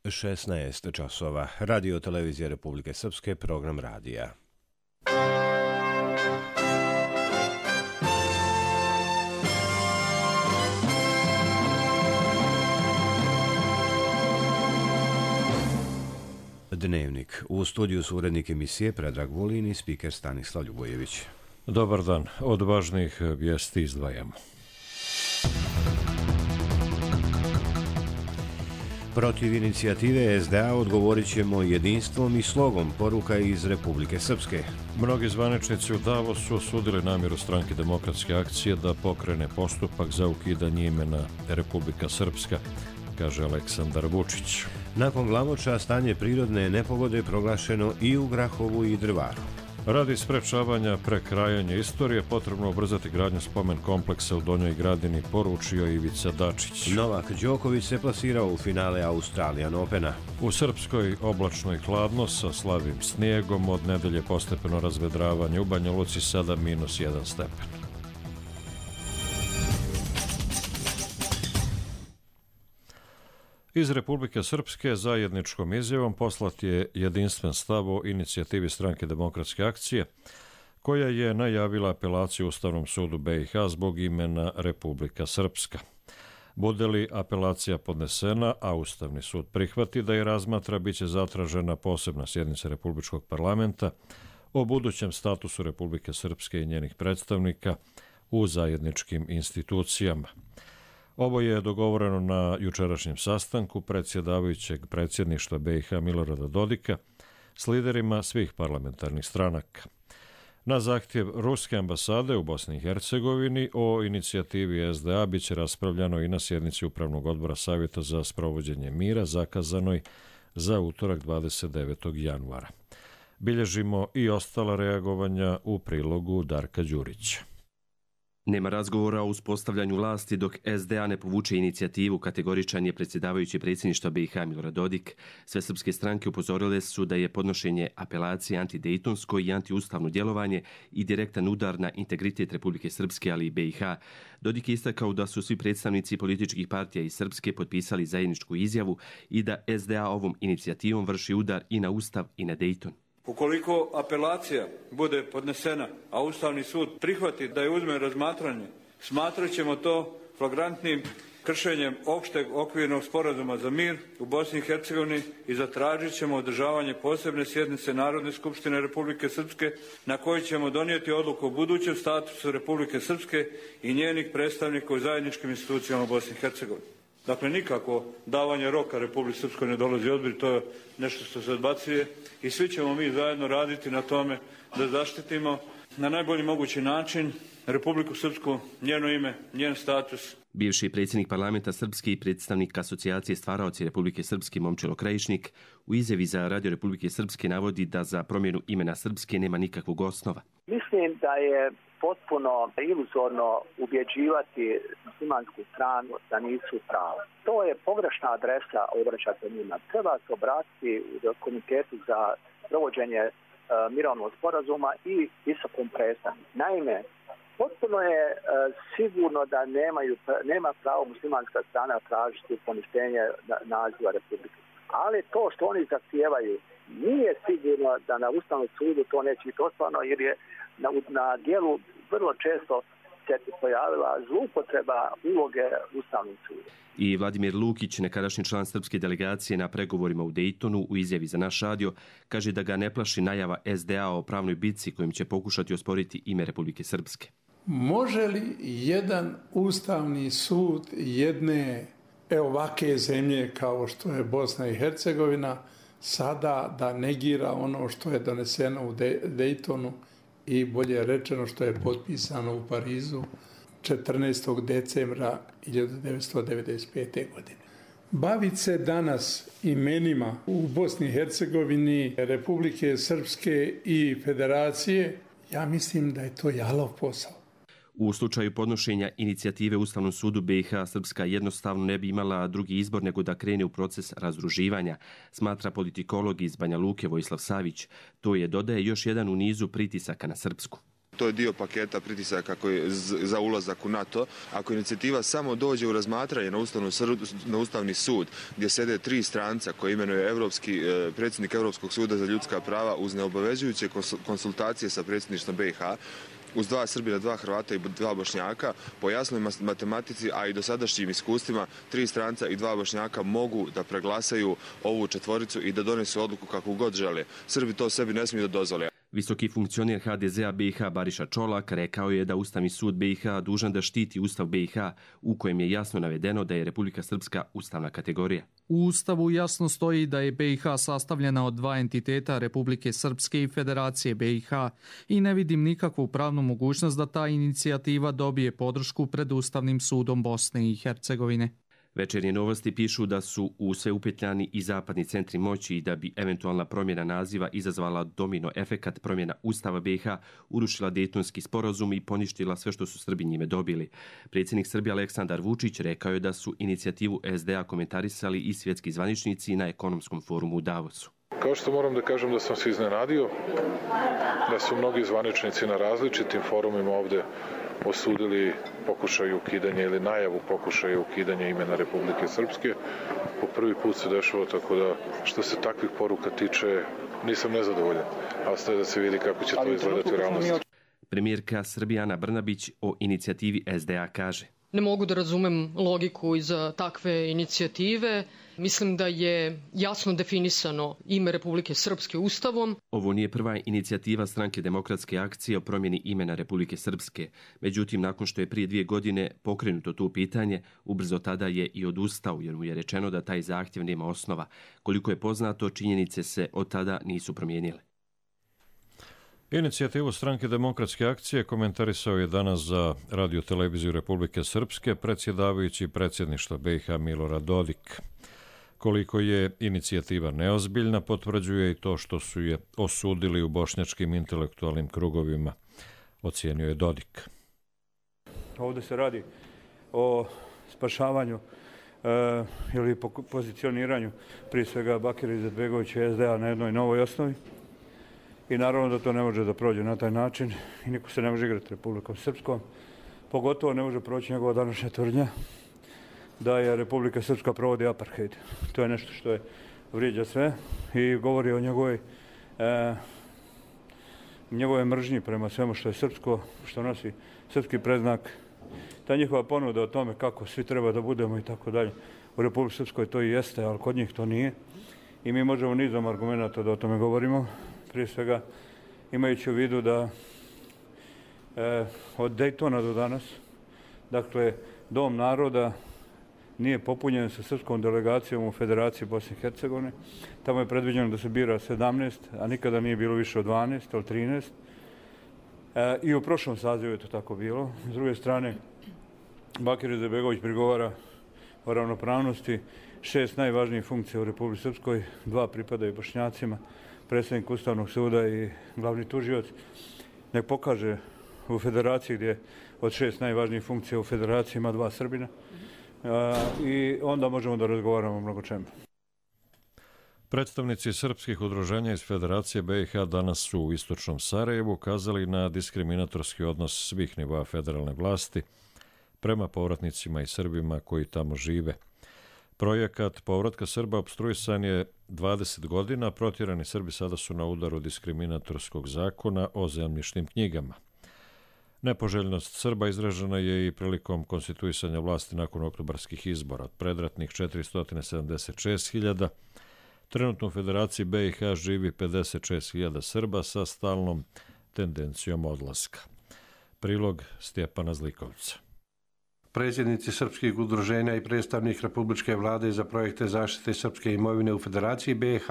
16 časova. Radio televizija Republike Srpske, program radija. Dnevnik. U studiju su urednik emisije Predrag Vulin i spiker Stanislav Ljubojević. Dobar dan. Od važnih vijesti izdvajamo. Protiv inicijative SDA odgovorit ćemo jedinstvom i slogom, poruka iz Republike Srpske. Mnogi zvaničnici u Davosu osudili namjeru Stranke demokratske akcije da pokrene postupak za ukidanje imena Republika Srpska, kaže Aleksandar Vučić. Nakon Glamoča stanje prirodne nepogode proglašeno i u Grahovu i Drvaru. Radi sprečavanja prekrajanja istorije potrebno ubrzati gradnju spomen kompleksa u Donjoj Gradini, poručio Ivica Dačić. Novak Đoković se plasirao u finale Australian Opena. U Srpskoj oblačno i hladno sa slabim snijegom, od nedelje postepeno razvedravanje, u Banja Luci sada -1 stepen. Iz Republike Srpske zajedničkom izjavom poslat je jedinstven stav o inicijativi Stranke demokratske akcije, koja je najavila apelaciju Ustavnom sudu BiH zbog imena Republika Srpska. Bude li apelacija podnesena, a Ustavni sud prihvati da je razmatra, bit će zatražena posebna sjednica Republičkog parlamenta o budućem statusu Republike Srpske i njenih predstavnika u zajedničkim institucijama. Ovo je dogovoreno na jučerašnjem sastanku predsjedavajućeg predsjedništva BiH Milorada Dodika s liderima svih parlamentarnih stranaka. Na zahtjev Ruske ambasade u Bosni i Hercegovini o inicijativi SDA bit će raspravljano i na sjednici Upravnog odbora Savjeta za sprovođenje mira zakazanoj za utorak 29. januara. Bilježimo i ostala reagovanja u prilogu Darka Đurića. Nema razgovora o uspostavljanju vlasti dok SDA ne povuče inicijativu, kategoričan je predsjedavajući predsjedništva BiH Milorad Dodik. Sve srpske stranke upozorile su da je podnošenje apelacije antidejtonsko i antiustavno djelovanje i direktan udar na integritet Republike Srpske, ali i BiH. Dodik je istakao da su svi predstavnici političkih partija iz Srpske potpisali zajedničku izjavu i da SDA ovom inicijativom vrši udar i na Ustav i na Dejton. Ukoliko apelacija bude podnesena, a Ustavni sud prihvati da je uzme razmatranje, smatrat ćemo to flagrantnim kršenjem opšteg okvirnog sporazuma za mir u Bosni i Hercegovini i zatražit ćemo održavanje posebne sjednice Narodne skupštine Republike Srpske na kojoj ćemo donijeti odluku o budućem statusu Republike Srpske i njenih predstavnika u zajedničkim institucijama u Bosni i Hercegovini. Dakle, nikako davanje roka Republike Srpskoj ne dolazi u obzir, to je nešto što se odbacuje i svi ćemo mi zajedno raditi na tome da zaštitimo na najbolji mogući način Republiku Srpsku, njeno ime, njen status. Bivši predsjednik parlamenta Srpske i predstavnik asocijacije stvaraoci Republike Srpske Momčilo Krajišnik u izjavi za Radio Republike Srpske navodi da za promjenu imena Srpske nema nikakvog osnova. Mislim da je potpuno iluzorno ubjeđivati muslimansku stranu da nisu pravo. To je pogrešna adresa obraćati njima. Treba se obratiti u komitetu za provođenje mirovnog sporazuma i visokom predstavniku. Naime, potpuno je sigurno da nema pravo muslimanska strana tražiti poništenje naziva Republike. Ali to što oni zahtijevaju nije sigurno da na Ustavnom sudu to neće biti ostvarno, jer je na dijelu vrlo često se pojavila zloupotreba uloge Ustavnog suda. I Vladimir Lukić, nekadašnji član srpske delegacije na pregovorima u Dejtonu, u izjavi za naš radio, kaže da ga ne plaši najava SDA o pravnoj bitci kojim će pokušati osporiti ime Republike Srpske. Može li jedan Ustavni sud jedne ovake zemlje kao što je Bosna i Hercegovina sada da negira ono što je doneseno u Dejtonu i bolje rečeno što je potpisano u Parizu 14. decembra 1995. godine. Baviti se danas imenima u Bosni i Hercegovini, Republike Srpske i Federacije, ja mislim da je to jalov posao. U slučaju podnošenja inicijative Ustavnom sudu BiH, Srpska jednostavno ne bi imala drugi izbor nego da krene u proces razdruživanja, smatra politikolog iz Banja Luke Vojislav Savić. To je, dodaje, još jedan u nizu pritisaka na Srpsku. To je dio paketa pritisaka za ulazak u NATO. Ako inicijativa samo dođe u razmatranje na Ustavni sud, gdje sede 3 stranca koje imenuje predsjednik Europskog suda za ljudska prava uz neobavezujuće konsultacije sa predsjedništvom BiH, uz 2 Srbina, 2 Hrvata i 2 Bošnjaka, po jasnoj matematici, a i dosadašnjim iskustvima, 3 stranca i 2 Bošnjaka mogu da preglasaju ovu četvoricu i da donesu odluku kakvu god žele. Srbi to sebi ne smiju da dozvole. Visoki funkcioner HDZ-a BiH Bariša Čolak rekao je da Ustavni sud BiH dužan da štiti Ustav BiH u kojem je jasno navedeno da je Republika Srpska ustavna kategorija. U Ustavu jasno stoji da je BiH sastavljena od 2 entiteta, Republike Srpske i Federacije BiH, i ne vidim nikakvu pravnu mogućnost da ta inicijativa dobije podršku pred Ustavnim sudom Bosne i Hercegovine. Večernje novosti pišu da su u sve upetljani i zapadni centri moći i da bi eventualna promjena naziva izazvala domino efekat promjena Ustava BiH, urušila Dejtonski sporazum i poništila sve što su Srbi njime dobili. Predsjednik Srbije Aleksandar Vučić rekao je da su inicijativu SDA komentarisali i svjetski zvaničnici na ekonomskom forumu u Davosu. Kao što moram da kažem da sam se iznenadio, da su mnogi zvaničnici na različitim forumima ovdje osudili pokušaj ukidanja ili najavu pokušaja ukidanja imena Republike Srpske. Po prvi put se dešava, tako da što se takvih poruka tiče nisam nezadovoljan, a ostaje da se vidi kako će to izgledati u realnosti. Premijerka Srbije Ana Brnabić o inicijativi SDA kaže: Ne mogu da razumem logiku iza takve inicijative. Mislim da je jasno definisano ime Republike Srpske Ustavom. Ovo nije prva inicijativa Stranke demokratske akcije o promjeni imena Republike Srpske. Međutim, nakon što je prije 2 godine pokrenuto to pitanje, ubrzo tada je i odustao jer mu je rečeno da taj zahtjev nema osnova. Koliko je poznato, činjenice se od tada nisu promijenile. Inicijativu Stranke demokratske akcije komentarisao je danas za Radio televiziju Republike Srpske predsjedavajući predsjedništva BiH Milorad Dodik. Koliko je inicijativa neozbiljna, potvrđuje i to što su je osudili u bošnjačkim intelektualnim krugovima, ocijenio je Dodik. Ovdje se radi o spašavanju ili pozicioniranju prije svega Bakira Izetbegovića i SDA na jednoj novoj osnovi. I naravno da to ne može da prođe na taj način i niko se ne može igrati Republikom Srpskom. Pogotovo ne može proći njegova današnja tvrdnja da je Republika Srpska provodi apartheid. To je nešto što je vrijeđa sve i govori o njegove mržnji prema svemu što je srpsko, što nosi srpski predznak. Ta njihova ponuda o tome kako svi treba da budemo i tako dalje. U Republici Srpskoj to i jeste, ali kod njih to nije. I mi možemo nizom argumenta da o tome govorimo. Prije svega imajući u vidu da od Dejtona do danas, dakle, Dom naroda nije popunjen sa srpskom delegacijom u Federaciji Bosne i Hercegovine. Tamo je predviđeno da se bira 17, a nikada nije bilo više od 12 ili 13. I u prošlom sazivu je to tako bilo. S druge strane, Bakir Izetbegović prigovara o ravnopravnosti 6 najvažnijih funkcija u Republici Srpskoj, 2 pripadaju Bošnjacima, predsjednik Ustavnog suda i glavni tužioc. Nek pokaže u Federaciji gdje od 6 najvažnijih funkcija u Federaciji ima 2 Srbina i onda možemo da razgovaramo o mnogo čemu. Predstavnici srpskih udruženja iz Federacije BiH danas su u istočnom Sarajevu ukazali na diskriminatorski odnos svih nivoa federalne vlasti prema povratnicima i Srbima koji tamo žive. Projekat povratka Srba opstruisan je 20 godina, protjerani Srbi sada su na udaru diskriminatorskog zakona o zemljišnim knjigama. Nepoželjnost Srba izražena je i prilikom konstituisanja vlasti nakon oktobarskih izbora. Od predratnih 476.000, trenutno u Federaciji BiH živi 56.000 Srba sa stalnom tendencijom odlaska. Prilog Stjepana Zlikovca. Predsjednici srpskih udruženja i predstavnik Republičke vlade za projekte zaštite srpske imovine u Federaciji BiH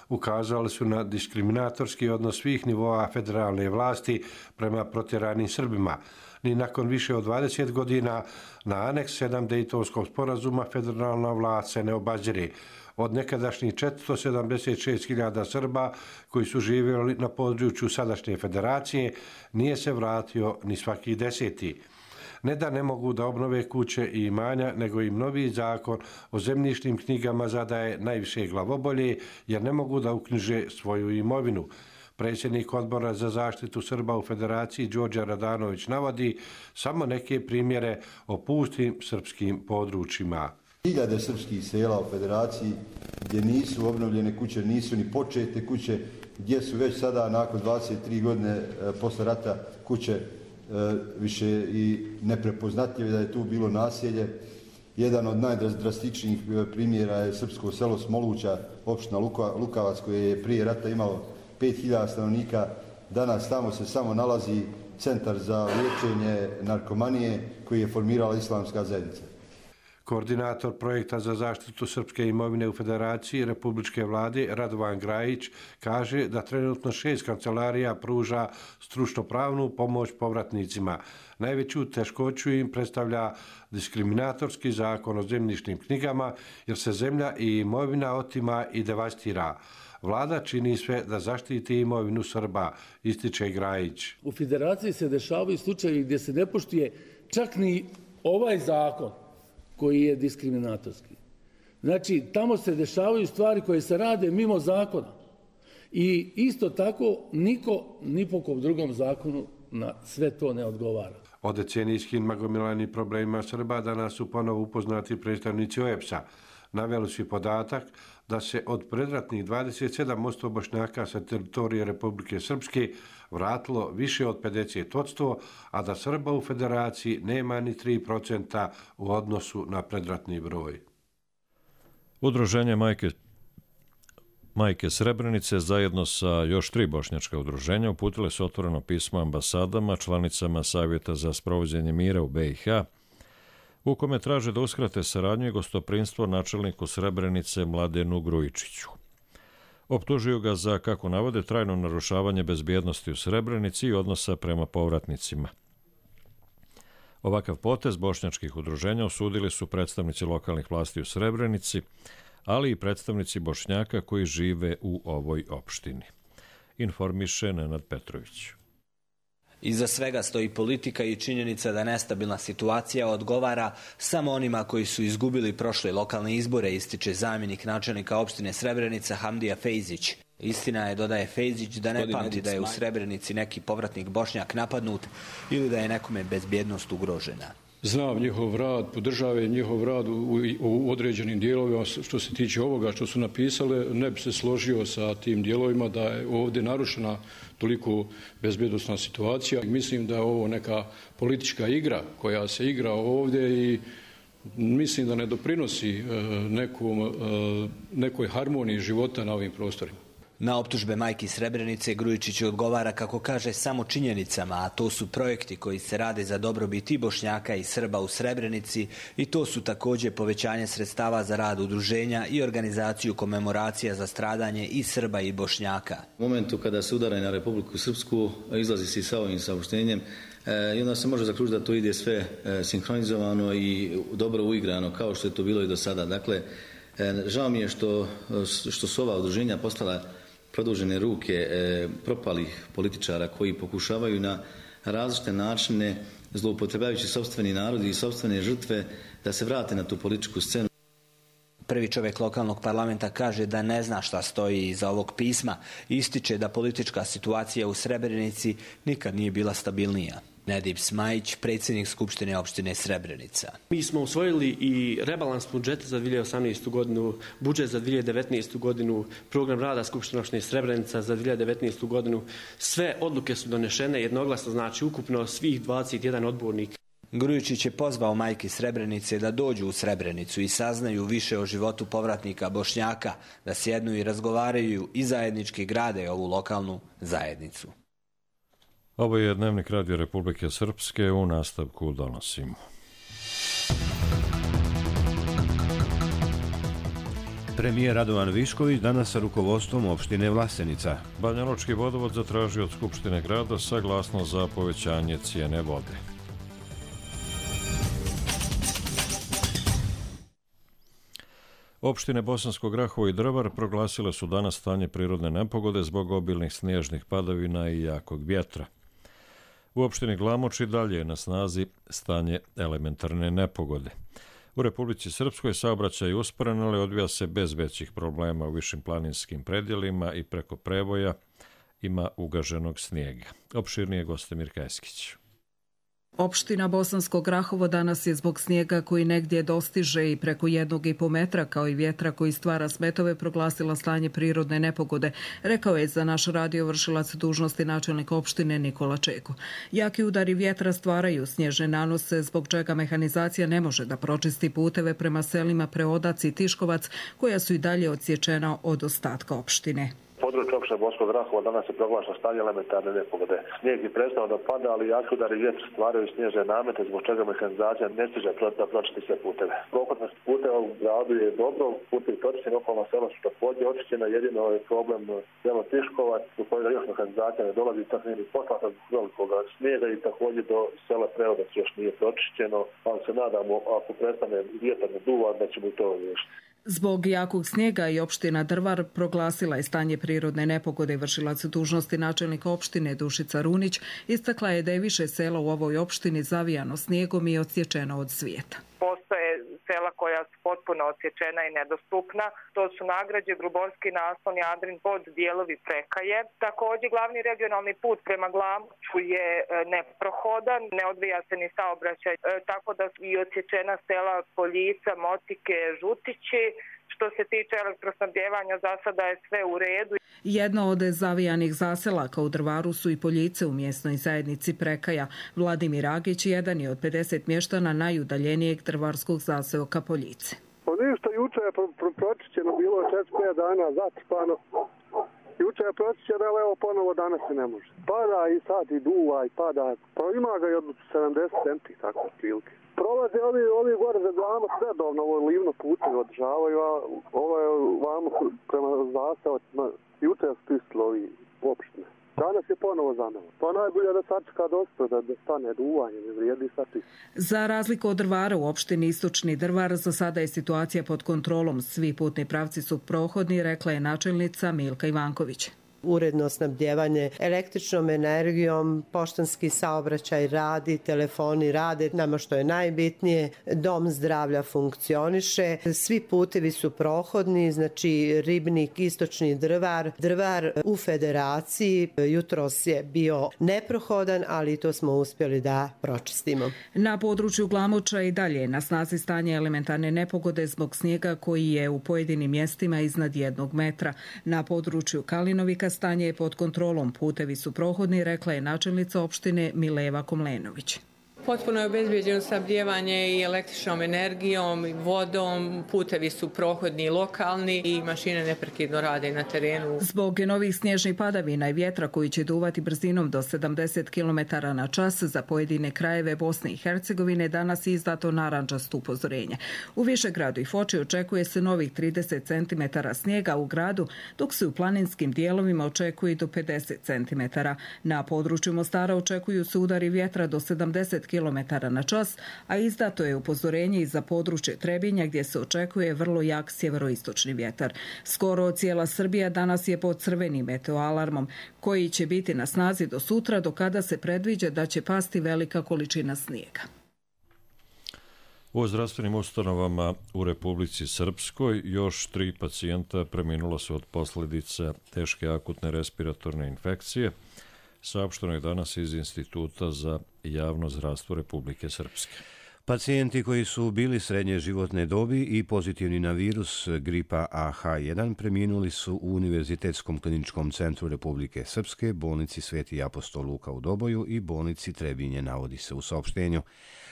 ukazali su na diskriminatorski odnos svih nivoa federalne vlasti prema protjeranim Srbima. Ni nakon više od 20 godina na aneks 7 Dejtonskog sporazuma federalna vlast se ne obazire. Od nekadašnjih 476.000 Srba koji su živjeli na području sadašnje federacije nije se vratio ni svaki 10. Ne da ne mogu da obnove kuće i imanja, nego im novi zakon o zemljišnim knjigama zadaje najviše glavobolje, jer ne mogu da uknjiže svoju imovinu. Predsjednik odbora za zaštitu Srba u Federaciji Đorđe Radanović navodi samo neke primjere o pustim srpskim područjima. Hiljade srpskih sela u Federaciji gdje nisu obnovljene kuće, nisu ni počete kuće, gdje su već sada nakon 23 godine posle rata kuće više i neprepoznatljive, da je tu bilo naselje. Jedan od najdrastičnijih primjera je srpsko selo Smoluća, opština Lukavac, koje je prije rata imalo 5000 stanovnika. Danas tamo se samo nalazi centar za liječenje narkomanije koji je formirala islamska zajednica. Koordinator projekta za zaštitu srpske imovine u Federaciji Republičke vlade Radovan Grajić kaže da trenutno 6 kancelarija pruža stručno-pravnu pomoć povratnicima. Najveću teškoću im predstavlja diskriminatorski zakon o zemljišnim knjigama jer se zemlja i imovina otima i devastira. Vlada čini sve da zaštiti imovinu Srba, ističe Grajić. U Federaciji se dešavaju slučajevi gdje se ne poštuje čak ni ovaj zakon koji je diskriminatorski. Znači, tamo se dešavaju stvari koje se rade mimo zakona. I isto tako, niko ni po kom drugom zakonu na sve to ne odgovara. O decenijskim nagomilanim problemima Srba danas su ponovo upoznati predstavnici OEBS-a. Naveli su podatak da se od predratnih 27% Bošnjaka sa teritorije Republike Srpske vratilo više od 50%, a da Srba u Federaciji nema ni 3% u odnosu na predratni broj. Udruženje Majke Srebrenice zajedno sa još 3 bošnjačka udruženja uputile su otvoreno pismo ambasadama, članicama Savjeta za sprovođenje mira u BiH, u kome traže da uskrate saradnju i gostoprinstvo načelniku Srebrenice Mladenu Grujičiću. Optužuju ga za, kako navode, trajno narušavanje bezbjednosti u Srebrenici i odnosa prema povratnicima. Ovakav potez bošnjačkih udruženja osudili su predstavnici lokalnih vlasti u Srebrenici, ali i predstavnici Bošnjaka koji žive u ovoj opštini. Informiše Nenad Petrović. Iza svega stoji politika i činjenica da nestabilna situacija odgovara samo onima koji su izgubili prošle lokalne izbore, ističe zamjenik načelnika opštine Srebrenica Hamdija Fejzić. Istina je, dodaje Fejzić, da ne pamti da je u Srebrenici neki povratnik Bošnjak napadnut ili da je nekome bezbjednost ugrožena. Znam njihov rad, podržava njihov rad u određenim dijelovima. Što se tiče ovoga što su napisale, ne bi se složio sa tim dijelovima da je ovdje narušena toliko bezbjednosna situacija. Mislim da je ovo neka politička igra koja se igra ovdje i mislim da ne doprinosi nekoj harmoniji života na ovim prostorima. Na optužbe majki Srebrenice Grujičić odgovara, kako kaže, samo činjenicama, a to su projekti koji se rade za dobrobit i Bošnjaka i Srba u Srebrenici i to su također povećanje sredstava za rad udruženja i organizaciju komemoracija za stradanje i Srba i Bošnjaka. U momentu kada se udara na Republiku Srpsku, izlazi se sa ovim saopštenjem i onda se može zaključiti da to ide sve sinhronizovano i dobro uigrano, kao što je to bilo i do sada. Dakle, žao mi je što su ova udruženja postala produžene ruke propalih političara koji pokušavaju na različite načine, zloupotrebljavajući sopstveni narod i sopstvene žrtve, da se vrate na tu političku scenu. Prvi čovjek lokalnog parlamenta kaže da ne zna šta stoji iza ovog pisma. Ističe da politička situacija u Srebrenici nikad nije bila stabilnija. Nedip Smajić, predsjednik Skupštine opštine Srebrenica. Mi smo usvojili i rebalans budžeta za 2018. godinu, budžet za 2019. godinu, program rada Skupštine opštine Srebrenica za 2019. godinu. Sve odluke su donešene jednoglasno, znači ukupno svih 21 odbornik. Grujičić je pozvao majke Srebrenice da dođu u Srebrenicu i saznaju više o životu povratnika Bošnjaka, da sjednu i razgovaraju i zajednički grade ovu lokalnu zajednicu. Ovo je Dnevnik Radio Republike Srpske, u nastavku donosimo. Premijer Radovan Višković danas sa rukovodstvom opštine Vlasenica. Banjalučki vodovod zatražio od Skupštine grada saglasnost za povećanje cijene vode. Opštine Bosansko Grahovo i Drvar proglasile su danas stanje prirodne nepogode zbog obilnih snježnih padavina i jakog vjetra. U opštini Glamoč i dalje je na snazi stanje elementarne nepogode. U Republici Srpskoj saobraćaj je usporen, ali odvija se bez većih problema u višim planinskim predjelima i preko prevoja ima ugaženog snijega. Opširnije Gostemir Kajskić. Opština Bosansko Grahovo danas je zbog snijega koji negdje dostiže i preko 1,5 metra kao i vjetra koji stvara smetove proglasila stanje prirodne nepogode, rekao je za naš radio vršilac dužnosti načelnik opštine Nikola Čeko. Jaki udari vjetra stvaraju snježne nanose zbog čega mehanizacija ne može da pročisti puteve prema selima Preodac i Tiškovac koja su i dalje odsječena od ostatka opštine. Područje opštine Bosanskog Grahova danas je proglašeno stanje elementarne nepogode. Snijeg je prestao da pada, ali jaki udari vjetra stvaraju snježne namete zbog čega mehanizacija ne stiže da pročisti sve puteve. Prohodnost puteva u gradu je dobro, putevi pročišćeni, okolna sela su također očišćena, jedino je problem selo Tiškovac, do kojega još mehanizacija ne dolazi, tako nije ni poslata zbog velikog snijega i također do sela Preodac još nije pročišćeno, ali se nadamo ako prestane vjetar da duva da ćemo i to riješiti. Zbog jakog snijega i opština Drvar proglasila je stanje prirodne nepogode. Vršilac dužnosti načelnika opštine Dušica Runić istakla je da je više sela u ovoj opštini zavijano snijegom i odsječeno od svijeta. Postoje sela koja su potpuno odsječena i nedostupna. To su Nagrađe, Gruborski naslon, Jadrin, pod dijelovi Prekaje. Također glavni regionalni put prema Glamoču je neprohodan, ne odvija se ni saobraćaj, tako da su i odsječena sela Poljica, Motike, Žutići. Što se tiče elektrosnabdjevanja, za sada je sve u redu. Jedno od zavijanih zaselaka u Drvaru su i Poljice u mjesnoj zajednici Prekaja. Vladimir Agić jedan je od 50 mještana najudaljenijeg drvarskog zaseoka Poljice. Ništa, juče je pročišćeno, bilo je 4-5 dana zatrpano. Juče je pročišćeno, ali evo ponovo danas se ne može. Pada i sad i duva i pada. Pa ima ga i od 70 centi, tako prilike. Prolaze ovi gore za Glamo sredovno, ovo livno putevi održavaju, a ovo je vamo prema zastavacima, juče je spistilo ovi opštine. Danas je ponovo zanovo. Pa najbolje da sačeka dosta, da stane duvanje, ne vrijedi sačista. Za razliku od Drvara u opštini Istočni Drvar, za sada je situacija pod kontrolom. Svi putni pravci su prohodni, rekla je načelnica Milka Ivanković. Uredno snabdjevanje električnom energijom, poštanski saobraćaj radi, telefoni rade, nama što je najbitnije, dom zdravlja funkcioniše, svi putevi su prohodni, znači Ribnik, Istočni Drvar, Drvar u Federaciji, jutros je bio neprohodan, ali to smo uspjeli da pročistimo. Na području Glamoča i dalje na snazi stanje elementarne nepogode zbog snijega koji je u pojedinim mjestima iznad 1 metra. Na području Kalinovika stanje je pod kontrolom, putevi su prohodni, rekla je načelnica opštine Mileva Komlenović. Potpuno je obezbeđeno snabdijevanje i električnom energijom, i vodom, putevi su prohodni i lokalni i mašine neprekidno rade na terenu. Zbog novih snježnih padavina i vjetra koji će duvati brzinom do 70 km na čas za pojedine krajeve Bosne i Hercegovine danas je izdato narandžasto upozorenje. U Višegradu i Foči očekuje se novih 30 cm snijega u gradu, dok se u planinskim dijelovima očekuje i do 50 cm. Na području Mostara očekuju se udari vjetra do 70 km na čas, a izdato je upozorenje i za područje Trebinja gdje se očekuje vrlo jak sjeveroistočni vjetar. Skoro cijela Srbija danas je pod crvenim meteoalarmom koji će biti na snazi do sutra, do kada se predviđa da će pasti velika količina snijega. U zdravstvenim ustanovama u Republici Srpskoj još 3 pacijenta preminula su od posljedica teške akutne respiratorne infekcije. Saopšteno je danas iz Instituta za javno zdravstvo Republike Srpske. Pacijenti koji su bili srednje životne dobi i pozitivni na virus gripa AH1 preminuli su u Univerzitetskom kliničkom centru Republike Srpske, bolnici Sveti apostol Luka u Doboju i bolnici Trebinje, navodi se u saopštenju.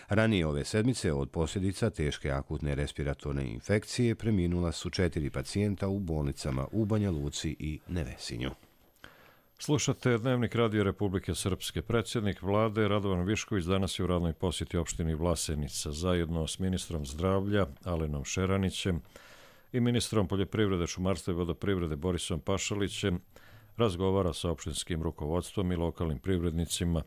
Ranije ove sedmice od posljedica teške akutne respiratorne infekcije preminula su 4 pacijenta u bolnicama u Banja Luci i Nevesinju. Slušate Dnevnik Radio Republike Srpske. Predsjednik vlade Radovan Višković danas je u radnoj posjeti opštini Vlasenica zajedno s ministrom zdravlja Alenom Šeranićem i ministrom poljoprivrede, šumarstva i vodoprivrede Borisom Pašalićem razgovara sa opštinskim rukovodstvom i lokalnim privrednicima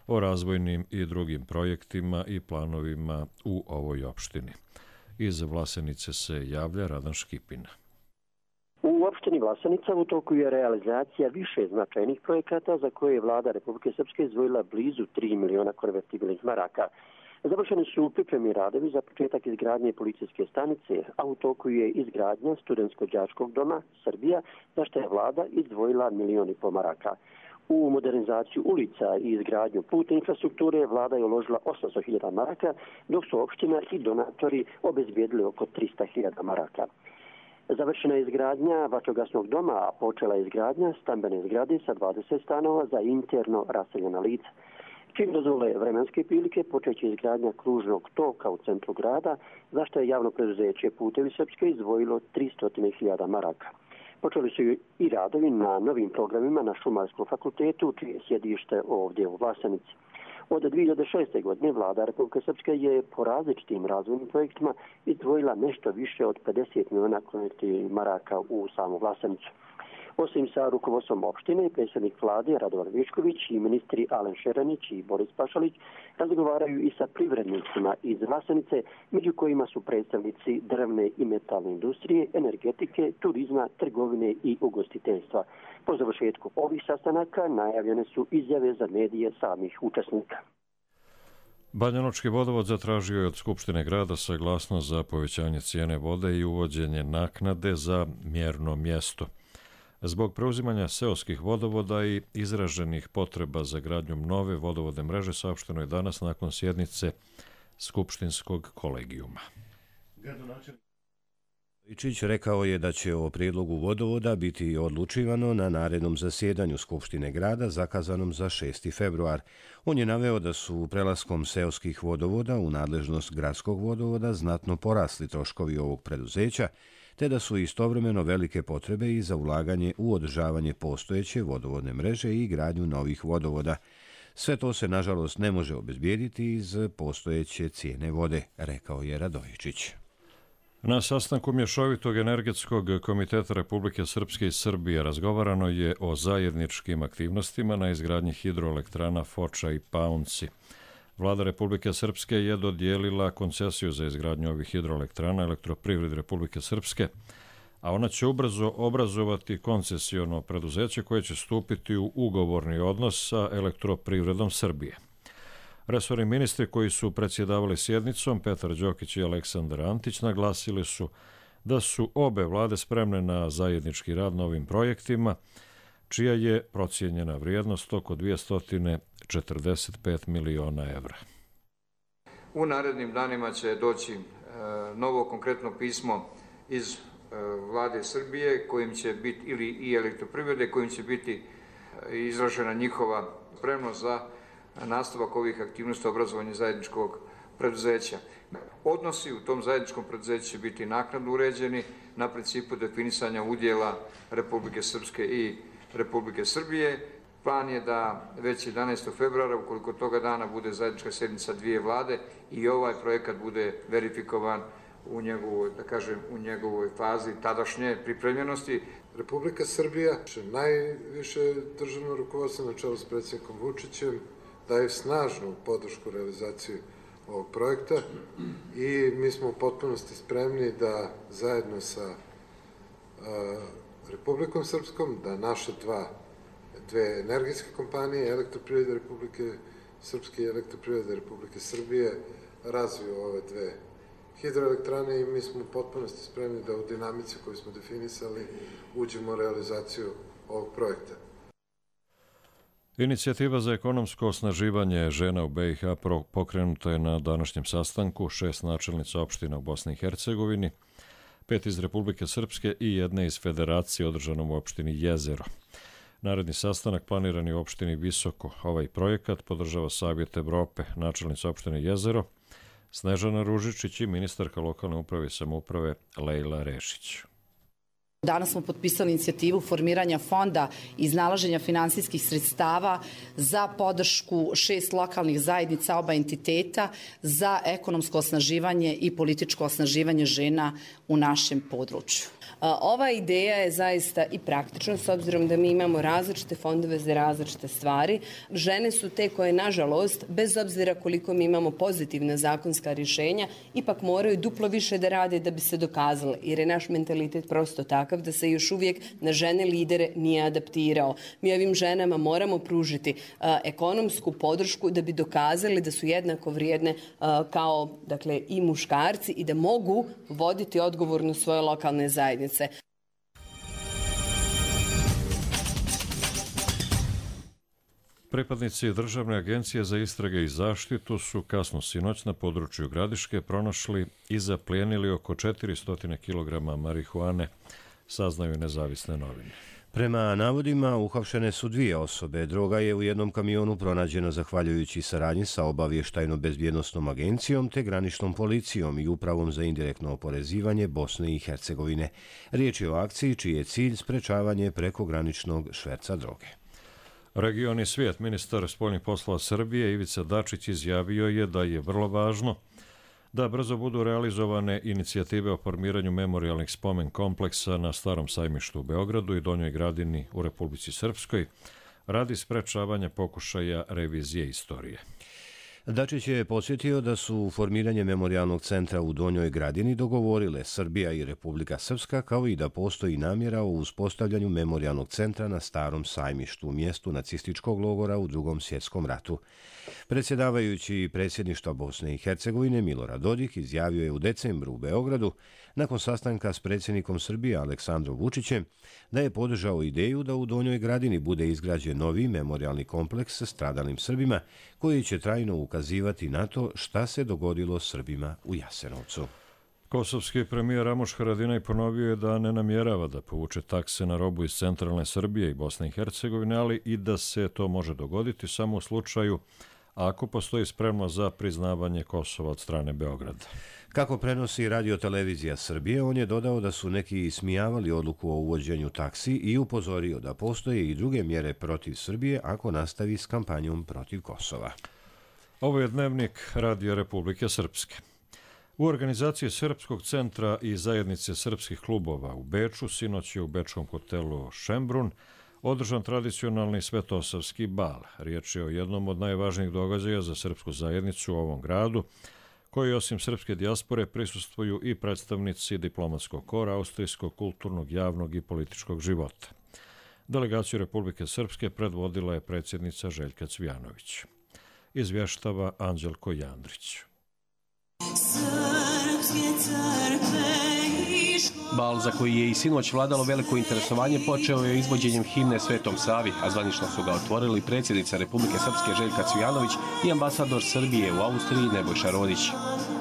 o razvojnim i drugim projektima i planovima u ovoj opštini. Iz Vlasenice se javlja Radan Škipina. U opštini Vlasenica u toku je realizacija više značajnih projekata za koje je vlada Republike Srpske izdvojila blizu 3 miliona konvertibilnih maraka. Završeni su pripremni radovi za početak izgradnje policijske stanice, a u toku je izgradnja studentsko-đačkog doma Srbija, za što je vlada izdvojila $1,5 miliona. U modernizaciju ulica i izgradnju putne infrastrukture vlada je uložila $800.000, dok su opština i donatori obezbijedili oko $300.000. Završena je izgradnja vatrogasnog doma, a počela je izgradnja stambene zgrade sa 20 stanova za interno raseljena lica. Čim dozvole vremenske prilike, počeće izgradnja kružnog toka u centru grada, za što je javno preduzeće Putevi Srpske izdvojilo $300.000. Počeli su i radovi na novim programima na Šumarskom fakultetu, čije sjedište ovdje u Vlasenici. Od 2006. godine vlada Republike Srpske je po različitim razvojnim projektima izdvojila nešto više od $50 miliona u samu Vlasenicu. Osim sa rukovodstvom opštine, predsjednik vlade Radovan Višković i ministri Alen Šeranić i Boris Pašalić razgovaraju i sa privrednicima iz Vlasenice, među kojima su predstavnici drvne i metalne industrije, energetike, turizma, trgovine i ugostiteljstva. Po završetku ovih sastanaka najavljene su izjave za medije samih učesnika. Banjalučki vodovod zatražio je od Skupštine grada saglasnost za povećanje cijene vode i uvođenje naknade za mjerno mjesto. Zbog preuzimanja seoskih vodovoda i izraženih potreba za gradnjom nove vodovodne mreže saopšteno je danas nakon sjednice Skupštinskog kolegijuma. Ičić rekao je da će o prijedlogu vodovoda biti odlučivano na narednom zasjedanju Skupštine grada zakazanom za 6. februar. On je naveo da su prelaskom seoskih vodovoda u nadležnost gradskog vodovoda znatno porasli troškovi ovog preduzeća, te da su istovremeno velike potrebe i za ulaganje u održavanje postojeće vodovodne mreže i gradnju novih vodovoda. Sve to se, nažalost, ne može obezbijediti iz postojeće cijene vode, rekao je Radojičić. Na sastanku Mješovitog energetskog komiteta Republike Srpske i Srbije razgovarano je o zajedničkim aktivnostima na izgradnji hidroelektrana Foča i Paunci. Vlada Republike Srpske je dodijelila koncesiju za izgradnju ovih hidroelektrana Elektroprivredi Republike Srpske, a ona će ubrzo obrazovati koncesiono preduzeće koje će stupiti u ugovorni odnos sa Elektroprivredom Srbije. Resorni ministri koji su predsjedavali sjednicom, Petar Đokić i Aleksandar Antić, naglasili su da su obe vlade spremne na zajednički rad na ovim projektima, čija je procijenjena vrijednost oko 245 miliona evra. U narednim danima će doći novo konkretno pismo iz vlade Srbije, kojim će biti, ili i Elektroprivrede, kojim će biti izražena njihova spremnost za nastavak ovih aktivnosti obrazovanja zajedničkog preduzeća. Odnosi u tom zajedničkom preduzeću će biti naknadno uređeni na principu definisanja udjela Republike Srpske i Republike Srbije. Plan je da već 11. februara, ukoliko toga dana bude zajednička sjednica dvije vlade, i ovaj projekat bude verifikovan u njegovoj fazi tadašnje pripremljenosti. Republika Srbija, najviše državno rukovodstvo na čelu s predsjednikom Vučićem, daje snažnu podršku realizaciji ovog projekta i mi smo u potpunosti spremni da zajedno sa Republikom Srpskom, da naše dve energetske kompanije, Elektroprivreda Republike Srpske i Elektroprivreda Republike Srbije, razviju ove dve hidroelektrane i mi smo u potpunosti spremni da u dinamici koju smo definisali uđemo u realizaciju ovog projekta. Inicijativa za ekonomsko osnaživanje žena u BiH pokrenuta je na današnjem sastanku 6 načelnica opština u Bosni i Hercegovini, 5 iz Republike Srpske i 1 iz Federacije održanom u opštini Jezero. Naredni sastanak planiran je u opštini Visoko. Ovaj projekat podržava Savjet Evrope, načelnica opštine Jezero, Snežana Ružičić i ministarka lokalne uprave i samouprave Lejla Rešić. Danas smo potpisali inicijativu formiranja fonda i iznalaženja finansijskih sredstava za podršku 6 lokalnih zajednica oba entiteta za ekonomsko osnaživanje i političko osnaživanje žena u našem području. Ova ideja je zaista i praktična, s obzirom da mi imamo različite fondove za različite stvari. Žene su te koje, nažalost, bez obzira koliko mi imamo pozitivna zakonska rješenja, ipak moraju duplo više da rade da bi se dokazale, jer je naš mentalitet prosto takav takav da se još uvijek na žene lidere nije adaptirao. Mi ovim ženama moramo pružiti ekonomsku podršku da bi dokazali da su jednako vrijedne kao, dakle, i muškarci i da mogu voditi odgovorno svoje lokalne zajednice. Pripadnici Državne agencije za istrage i zaštitu su kasno sinoć na području Gradiške pronašli i zaplijenili oko 400 kg marihuane, saznaju nezavisne novine. Prema navodima, uhapšene su 2 osobe. Droga je u jednom kamionu pronađena zahvaljujući saradnji sa obavještajno-bezbjednosnom agencijom te graničnom policijom i upravom za indirektno oporezivanje Bosne i Hercegovine. Riječ je o akciji čiji je cilj sprečavanje prekograničnog šverca droge. Region i svijet, ministar spoljnih poslova Srbije Ivica Dačić izjavio je da je vrlo važno da brzo budu realizovane inicijative o formiranju memorijalnih spomen kompleksa na Starom sajmištu u Beogradu i Donjoj Gradini u Republici Srpskoj radi sprečavanja pokušaja revizije istorije. Dačić je podsjetio da su formiranje memorijalnog centra u Donjoj Gradini dogovorile Srbija i Republika Srpska, kao i da postoji namjera o uspostavljanju memorijalnog centra na Starom sajmištu, u mjestu nacističkog logora u Drugom svjetskom ratu. Predsjedavajući predsjedništva Bosne i Hercegovine Milorad Dodik izjavio je u decembru u Beogradu, nakon sastanka s predsjednikom Srbije Aleksandrom Vučićem, da je podržao ideju da u Donjoj Gradini bude izgrađen novi memorijalni kompleks sa stradalim Srbima, koji će trajno ukazivati na to šta se dogodilo Srbima u Jasenovcu. Kosovski premijer Ramuš Haradinaj ponovio je da ne namjerava da povuče takse na robu iz centralne Srbije i Bosne i Hercegovine, ali i da se to može dogoditi samo u slučaju ako postoji spremnost za priznavanje Kosova od strane Beograda. Kako prenosi Radio-televizija Srbije, on je dodao da su neki ismijavali odluku o uvođenju taksi i upozorio da postoje i druge mjere protiv Srbije ako nastavi s kampanjom protiv Kosova. Ovo je dnevnik Radio Republike Srpske. U organizaciji Srpskog centra i zajednice srpskih klubova u Beču sinoć je u bečkom hotelu Šembrun održan tradicionalni svetosavski bal. Riječ je o jednom od najvažnijih događaja za srpsku zajednicu u ovom gradu, koji osim srpske dijaspore prisustvuju i predstavnici diplomatskog kora, austrijskog, kulturnog, javnog i političkog života. Delegaciju Republike Srpske predvodila je predsjednica Željka Cvijanović. Izvještava Anđelko Jandrić. Bal, za koji je i sinoć vladalo veliko interesovanje, počeo je izvođenjem himne Svetom Savi, a zvanično su ga otvorili predsjednica Republike Srpske Željka Cvijanović i ambasador Srbije u Austriji Nebojša Rodić.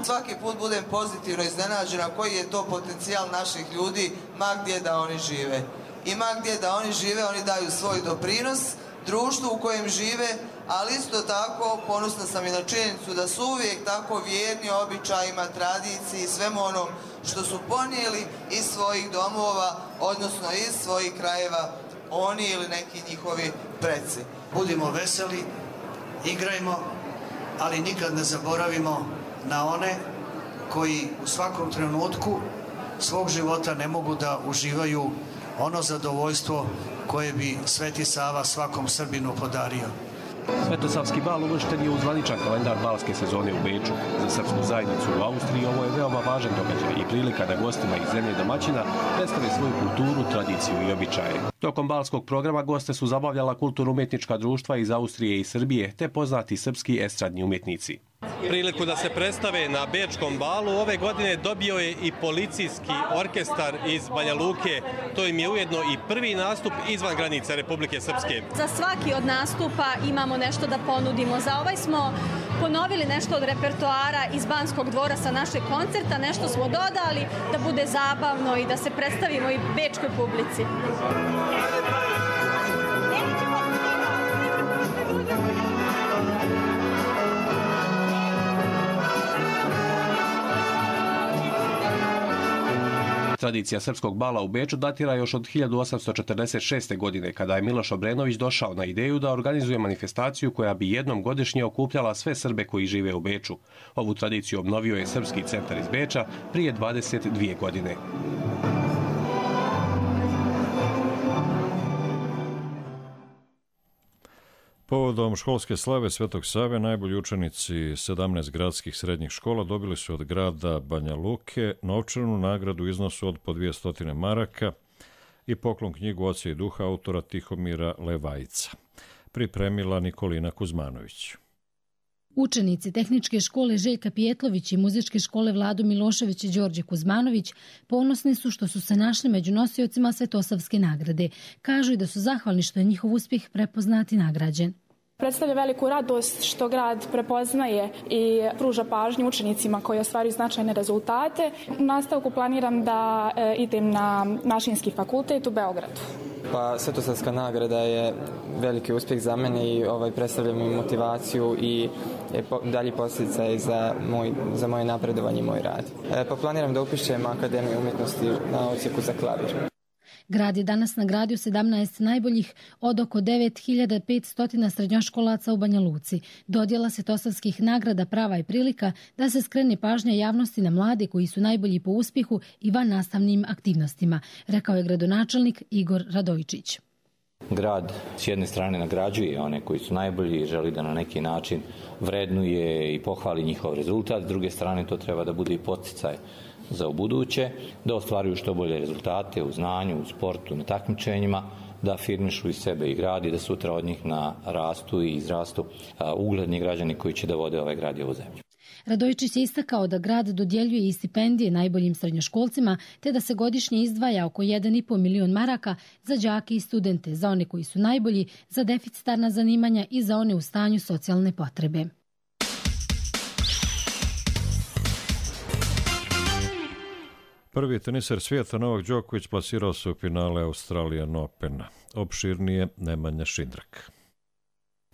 Svaki put budem pozitivno iznenađena koji je to potencijal naših ljudi, ma gdje da oni žive. I ma gdje da oni žive, oni daju svoj doprinos društvu u kojem žive, ali isto tako ponosna sam i na činjenicu da su uvijek tako vjerni običajima, tradiciji i svemu onom što su ponijeli iz svojih domova, odnosno iz svojih krajeva, oni ili neki njihovi preci. Budimo veseli, igrajmo, ali nikad ne zaboravimo na one koji u svakom trenutku svog života ne mogu da uživaju ono zadovoljstvo koje bi Sveti Sava svakom Srbinu podario. Svetosavski bal uvršten je u zvaničan kalendar balske sezone u Beču. Za srpsku zajednicu u Austriji ovo je veoma važan događaj i prilika da gostima iz zemlje domaćina predstave svoju kulturu, tradiciju i običaje. Tokom balskog programa goste su zabavljala kulturno-umjetnička društva iz Austrije i Srbije, te poznati srpski estradni umjetnici. Priliku da se predstave na Bečkom balu ove godine dobio je i policijski orkestar iz Banja Luke. To im je ujedno i prvi nastup izvan granica Republike Srpske. Za svaki od nastupa imamo nešto da ponudimo. Za ovaj smo ponovili nešto od repertoara iz Banskog dvora sa našeg koncerta, nešto smo dodali da bude zabavno i da se predstavimo i bečkoj publici. Tradicija srpskog bala u Beču datira još od 1846. godine, kada je Miloš Obrenović došao na ideju da organizuje manifestaciju koja bi jednom godišnje okupljala sve Srbe koji žive u Beču. Ovu tradiciju obnovio je Srpski centar iz Beča prije 22 godine. Povodom školske slave Svetog Save, najbolji učenici 17 gradskih srednjih škola dobili su od grada Banja Luke novčanu nagradu u iznosu od po 200 maraka i poklon knjigu Oca i duha autora Tihomira Levajca. Pripremila Nikolina Kuzmanović. Učenici Tehničke škole Željka Pijetlović i Muzičke škole Vlado Milošević i Đorđe Kuzmanović ponosni su što su se našli među nosiocima Svetosavske nagrade. Kažu i da su zahvalni što je njihov uspjeh prepoznat i nagrađen. Predstavlja veliku radost što grad prepoznaje i pruža pažnju učenicima koji ostvaruju značajne rezultate. U nastavku planiram da idem na Mašinski fakultet u Beogradu. Pa Svetosavska nagrada je veliki uspjeh za mene i predstavlja mi motivaciju i dalji podsticaj za moje napredovanje i moj rad. Pa planiram da upišem Akademiju umjetnosti na odsjeku za klavir. Grad je danas nagradio 17 najboljih od oko 9500 srednjoškolaca u Banja Luci. Dodjela Svetosavskih nagrada prava je prilika da se skrene pažnja javnosti na mlade koji su najbolji po uspjehu i van nastavnim aktivnostima, rekao je gradonačelnik Igor Radojčić. Grad s jedne strane nagrađuje one koji su najbolji i želi da na neki način vrednuje i pohvali njihov rezultat, s druge strane to treba da bude i podsticaj za ubuduće, da ostvaruju što bolje rezultate u znanju, u sportu, na takmičenjima, da afirmišu i sebe i grad i da sutra od njih rastu i izrastu ugledni građani koji će da vode ovaj grad i ovu zemlju. Radojčić je istakao da grad dodjeljuje i stipendije najboljim srednjoškolcima, te da se godišnje izdvaja oko 1,5 milion maraka za đake i studente, za one koji su najbolji, za deficitarna zanimanja i za one u stanju socijalne potrebe. Prvi teniser svijeta Novak Đoković plasirao se u finale Australian Opena. Opširnije Nemanja Šindrak.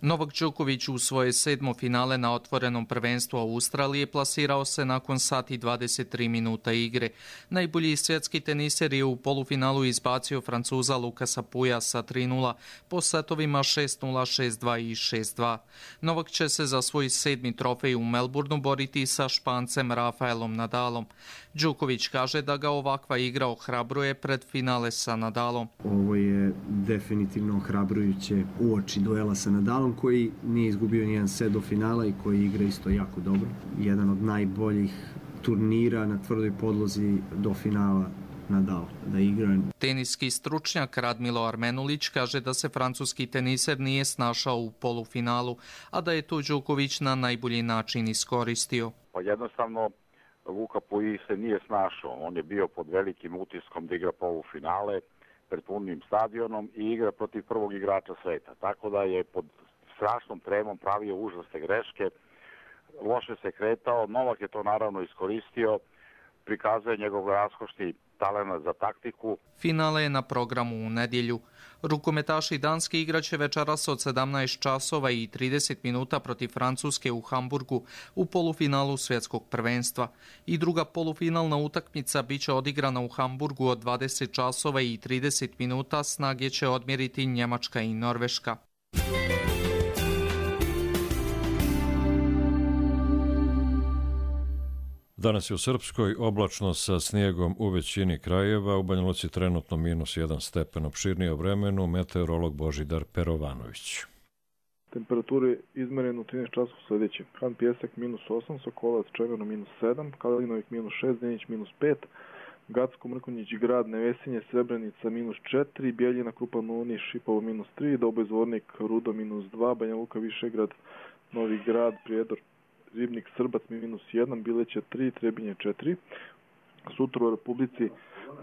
Novak Đoković u svoje 7. finale na otvorenom prvenstvu Australije plasirao se nakon sat i 23 minuta igre. Najbolji svjetski teniser je u polufinalu izbacio Francuza Lukasa Puja sa 3:0 po setovima 6:0, 6:2 i 6:2. Novak će se za svoj 7. trofej u Melbourneu boriti sa Špancem Rafaelom Nadalom. Đoković kaže da ga ovakva igra ohrabruje pred finale sa Nadalom. Ovo je definitivno ohrabrujuće uoči duela sa Nadalom, koji nije izgubio nijedan set do finala i koji igra isto jako dobro. Jedan od najboljih turnira na tvrdoj podlozi do finala Nadal da igra. Teniski stručnjak Radmilo Armenulić kaže da se francuski teniser nije snašao u polufinalu, a da je to Đoković na najbolji način iskoristio. Pa jednostavno Luka Puig se nije snašao. On je bio pod velikim utiskom da igra polufinale pred punim stadionom i igra protiv prvog igrača sveta. Tako da je pod strašnom tremom pravio užasne greške, loše se kretao. Novak je to naravno iskoristio, prikazuje njegov raskošni talent za taktiku. Finale je na programu u nedjelju. Rukometaši Danske igraće večeras od 17 časova i 30 minuta protiv Francuske u Hamburgu u polufinalu svjetskog prvenstva. I druga polufinalna utakmica biće odigrana u Hamburgu od 20 časova i 30 minuta, snage će odmjeriti Njemačka i Norveška. Danas je u Srpskoj oblačno sa snijegom u većini krajeva, u Banja Luci trenutno -1 stepen. Opširnije o vremenu meteorolog Božidar Perovanović. Temperature izmerene u 13 časova sljedeće. Han Pjesak -8, Sokolac Čemerno -7, Kalinovik -6, Denić -5, Gacko, Mrkonjić, Grad, Nevesinje, Srebrenica -4, Bjeljina, Krupa, Nuni, Šipovo -3, Doboj, Zvornik, Rudo -2, Banja Luka, Višegrad, Novi Grad, Prijedor, Ribnik, Srbac -1, Bileće 3, Trebinje 4. Sutra u Republici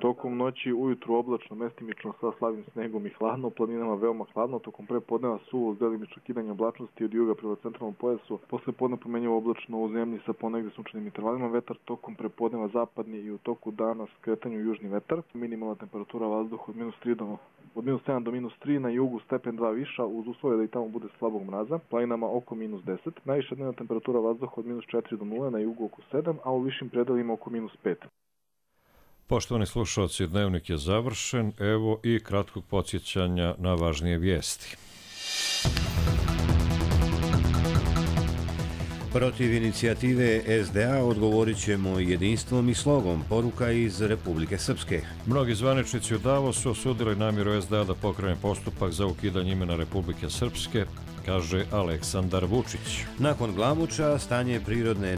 tokom noći ujutru oblačno, mestimično sa slabim snegom i hladno, planinama veoma hladno, tokom prepodneva suvo s delimično kidanje oblačnosti od juga prema centralnom pojasu, posle podne promenjivo oblačno u zemlji sa ponegde sunčanim intervalima, vetar tokom prepodneva zapadni i u toku dana skretanju južni vetar, minimalna temperatura vazduha od -7 do -3, na jugu stepen 2 viša, uz uslove da i tamo bude slabog mraza, planinama oko -10, najviša dnevna temperatura vazduha od -4 do 0, na jugu oko 7, a u višim predelima oko -5. Poštovani slušalci, dnevnik je završen, evo i kratkog podsjećanja na važnije vijesti. Protiv inicijative SDA odgovorit ćemo jedinstvom i slogom, poruka iz Republike Srpske. Mnogi zvaničnici u Davosu osudili namjeru SDA da pokrene postupak za ukidanje imena Republike Srpske, kaže Aleksandar Vučić. Nakon Glamuča, stanje prirodne